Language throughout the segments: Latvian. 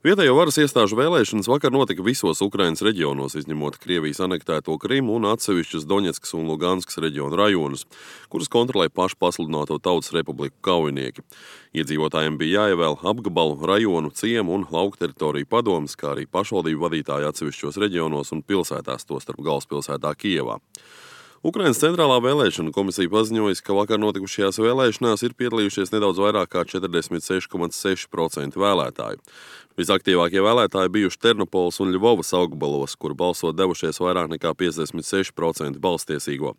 Vietējo varas iestāžu vēlēšanas vakar notika visos Ukrainas reģionos, izņemot Krievijas anektēto Krimu un atsevišķus Doņetskas un Luganskas reģionu rajonus, kurus kontrolē pašu pasludināto Tautas Republiku kaujinieki. Iedzīvotājiem bija jāievēl apgabalu, rajonu, ciemu un lauku teritoriju padomes, kā arī pašvaldību vadītāji atsevišķos reģionos un pilsētās, tostarp galvaspilsētā Kijevā. Ukrainas centrālā vēlēšana komisija paziņoja, ka vakar notikušajās vēlēšanās ir piedalījušies nedaudz vairāk kā 46,6% vēlētāju. Visaktīvākie vēlētāji bijuši Ternopoles un Ļvovas apgabalos, kur balsot devušies vairāk nekā 56% balstiesīgo,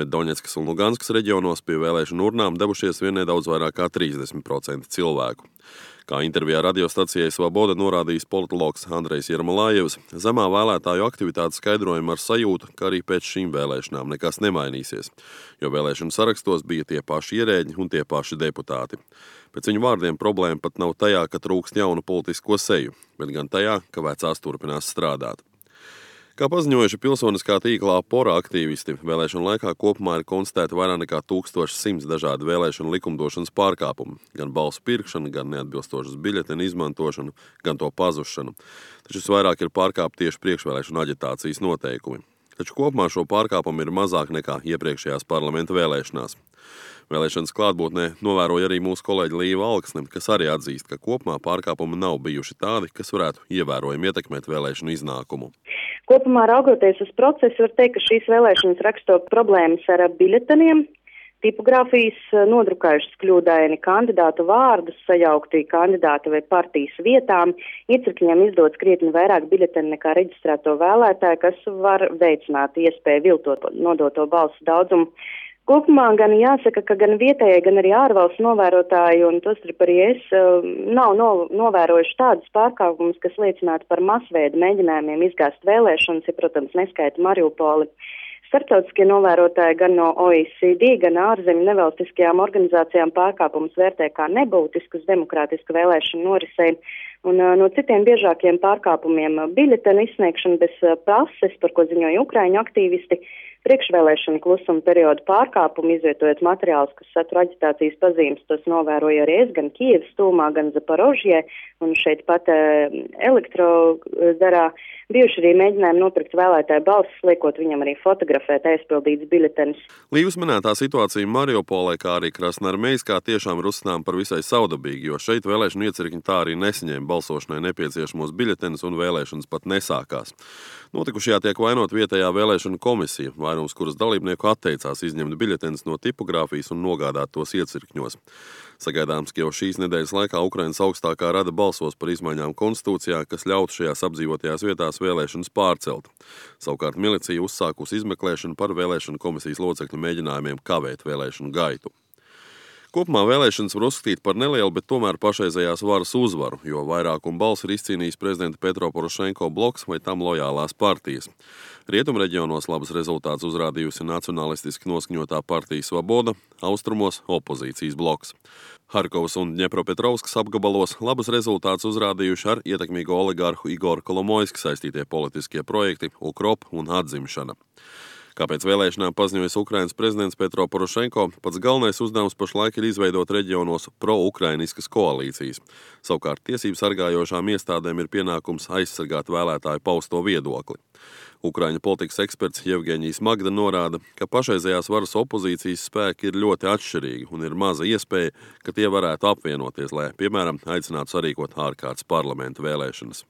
bet Doņetskas un Luganskas reģionos pie vēlēšanu urnām devušies vien nedaudz vairāk kā 30% cilvēku. Kā intervijā radiostacijai Svaboda norādījis politologs Andrejs Jermolājevs, zemā vēlētāju aktivitāte skaidrojama ar sajūtu, ka arī pēc šīm vēlēšanām nekas nemainīsies, jo vēlēšanu sarakstos bija tie paši ierēģi un tie paši deputāti. Pēc viņu vārdiem problēma pat nav tajā, ka trūkst jaunu politisko seju, bet gan tajā, ka vecās turpinās strādāt. Kā paziņojuši pilsoniskā tīklā Pora aktīvisti, vēlēšanu laikā kopumā ir konstatēti vairāk nekā 1100 dažādi vēlēšanu likumdošanas pārkāpumi, gan balsu pirkšana, gan neatbilstošas biļetenu izmantošana, gan to pazušana. Taču visvairāk ir pārkāpti tieši priekšvēlēšanu aģitācijas noteikumi. Taču kopumā šo pārkāpumu ir mazāk nekā iepriekšējās parlamenta vēlēšanās. Vēlēšanas klātbūtnē novēroja arī mūsu kolēģi Līva Alksne, kas arī atzīst, ka kopumā pārkāpumi nav bijuši tādi, kas varētu ievērojami ietekmēt vēlēšanu iznākumu. Kopumā raugoties uz procesu, var teikt, ka šīs vēlēšanas raksto problēmas ar biļeteniem, tipogrāfijas nodrukājušas kļūdaini kandidātu vārdus, sajaukti kandidāta vai partijas vietām, iecirkņiem izdots krietni vairāk biļeteni nekā reģistrēto vēlētāju, kas var veicināt iespēju viltot nodoto balsu daudzumu. Kopumā gan jāsaka, ka gan vietējie, gan arī ārvalstu novērotāji, un tostarp arī es, nav novērojuši tādus pārkāpumus, kas liecinātu par masveida mēģinājumiem izgāzt vēlēšanas, ja, protams, neskaita Mariupoli. Starptautiskie novērotāji gan no OECD, gan ārzemju nevalstiskajām organizācijām pārkāpumus vērtē kā nebūtiskus demokrātisku vēlēšanu norisei, un no citiem biežākiem pārkāpumiem biļetenu izsniegšana bez pases, par ko ziņoja Ukraiņu aktīvisti, priekšvēlēšana klusuma perioda pārkāpumu, izvietojot materiālus, kas satur aģitācijas pazīmes, tos novēroja arī es, gan Kijevas tūmā, gan Zaporožjē, un šeit pat Elektrodarā bijuši arī mēģinājumi nopirkt vēlētāju balsis, liekot viņam arī fotografēt aizpildītas biļetenes. Līvas minētā situācija Mariupolē, kā arī Krasnoarmejskā, tiešām ir uzskatām par visai saudabīgi, jo šeit vēlēšanu iecirkņi tā arī nesaņēma balsošanai nepieciešamos biļetenes un vēlēšanas pat nesākās. Notikušajā tiek vainot vietējā vēlēšanu komisija, vairums kuras dalībnieku atteicās izņemt biļetenes no tipogrāfijas un nogādāt tos iecirkņos. Sagaidāms, ka jau šīs nedēļas laikā Ukrainas augstākā rada balsos par izmaiņām konstitūcijā, kas ļautu šajās apdzīvotajās vietās vēlēšanas pārcelt. Savukārt milicija uzsākusi izmeklēšanu par vēlēšanu komisijas locekļu mēģinājumiem kavēt vēlēšanu gaitu. Kopumā vēlēšanas var uzskatīt par nelielu, bet tomēr pašreizējās varas uzvaru, jo vairākumu balsu ir izcīnījis prezidenta Petro Porošenko bloks vai tam lojālās partijas. Rietumreģionos labas rezultātus uzrādījusi nacionalistiski noskaņotā partija Svaboda, austrumos opozīcijas bloks. Harkovas un Ņepropetrovskas apgabalos labas rezultātus uzrādījuši ar ietekmīgo oligarhu Igoru Kolomoiski saistītie politiskie projekti Ukrop un Atzimšana. Kāpēc vēlēšanām paziņojas Ukrainas prezidents Petro Porošenko, pats galvenais uzdevums pašlaik ir izveidot reģionos pro-ukrainiskas koalīcijas. Savukārt tiesību sargājošām iestādēm ir pienākums aizsargāt vēlētāju pausto viedokli. Ukraiņu politikas eksperts Jevgeņijs Magda norāda, ka pašreizējās varas opozīcijas spēki ir ļoti atšķirīgi un ir maza iespēja, ka tie varētu apvienoties, lai, piemēram, aicinātu sarīkot ārkārtas parlamentu vēlēšanas.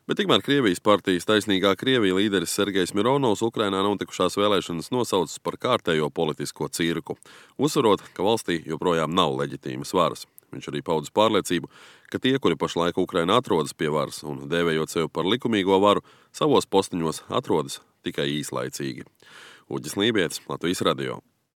Bet tikmēr Krievijas partijas Taisnīgā Krievija līderis Sergejs Mironovs Ukrainā notikušās vēlēšanas nosaucis par kārtējo politisko cirku, uzsverot, ka valstī joprojām nav leģitīmas varas. Viņš arī paudis pārliecību, ka tie, kuri pašlaik Ukrainā atrodas pie varas un dēvējot sevi par likumīgo varu, savos postiņos atrodas tikai īslaicīgi. Uģis Lībietis, Latvijas radio.